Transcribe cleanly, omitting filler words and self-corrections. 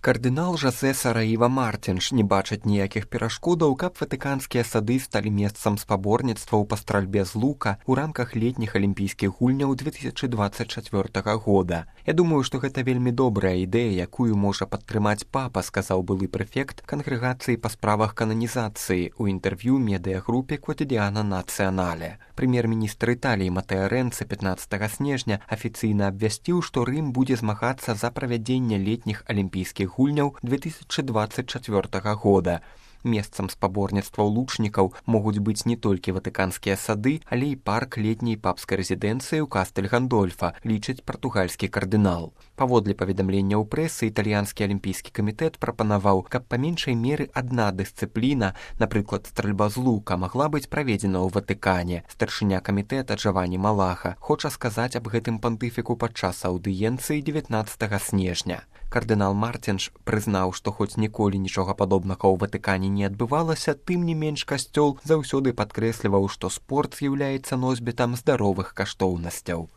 Кардынал Жозе Сараіва Мартинш не бачыць ніякіх перашкодаў, каб ватыканскія сады сталі месцам спаборніцтваў па стральбе з лука ў рамках летніх алімпійскіх гульняў 2024 года. Я думаю, што гэта вельмі добрая ідэя, якую можа падтрымаць папа, сказаў былы прэфект кангрэгацыі па справах кананізацыі ў інтэрв'ю медыягрупе Quotidiano Nazionale. Прэм'ер-міністр Італіі Матэа Рэнцэ 15 снежня афіцыйна абвясціў, што Рым будзе змагацца за правядзенне летніх алімпійскіх гульняў 2024 года. Месцам спаборніцтваў лучнікаў могуць быць не толькі ватыканскія сады, але і парк летняй папскай рэзідэнцыі ў Кастэль-Гандольфа, лічыць партугальскі кардынал. Паводле паведамлення ў прэсы, італьянскі алімпійскі камітэт прапанаваў, каб па меншай меры адна дысцыпліна, напрыклад, стральба з лука, магла быць праведзена ў Ватыкане. Старшыня камітэта Джавані Малаха хоча сказаць аб гэтым пантыфіку падчас аўдыенцыі 19 снежня. Кардынал Мартинш прызнаў, што хоць ніколі нічога падобнага ў Ватыкане не адбывалася, тым не менш касцёл заўсёды падкрэсліваў, што спорт з'яўляецца носьбітам здаровых каштоўнасцяў.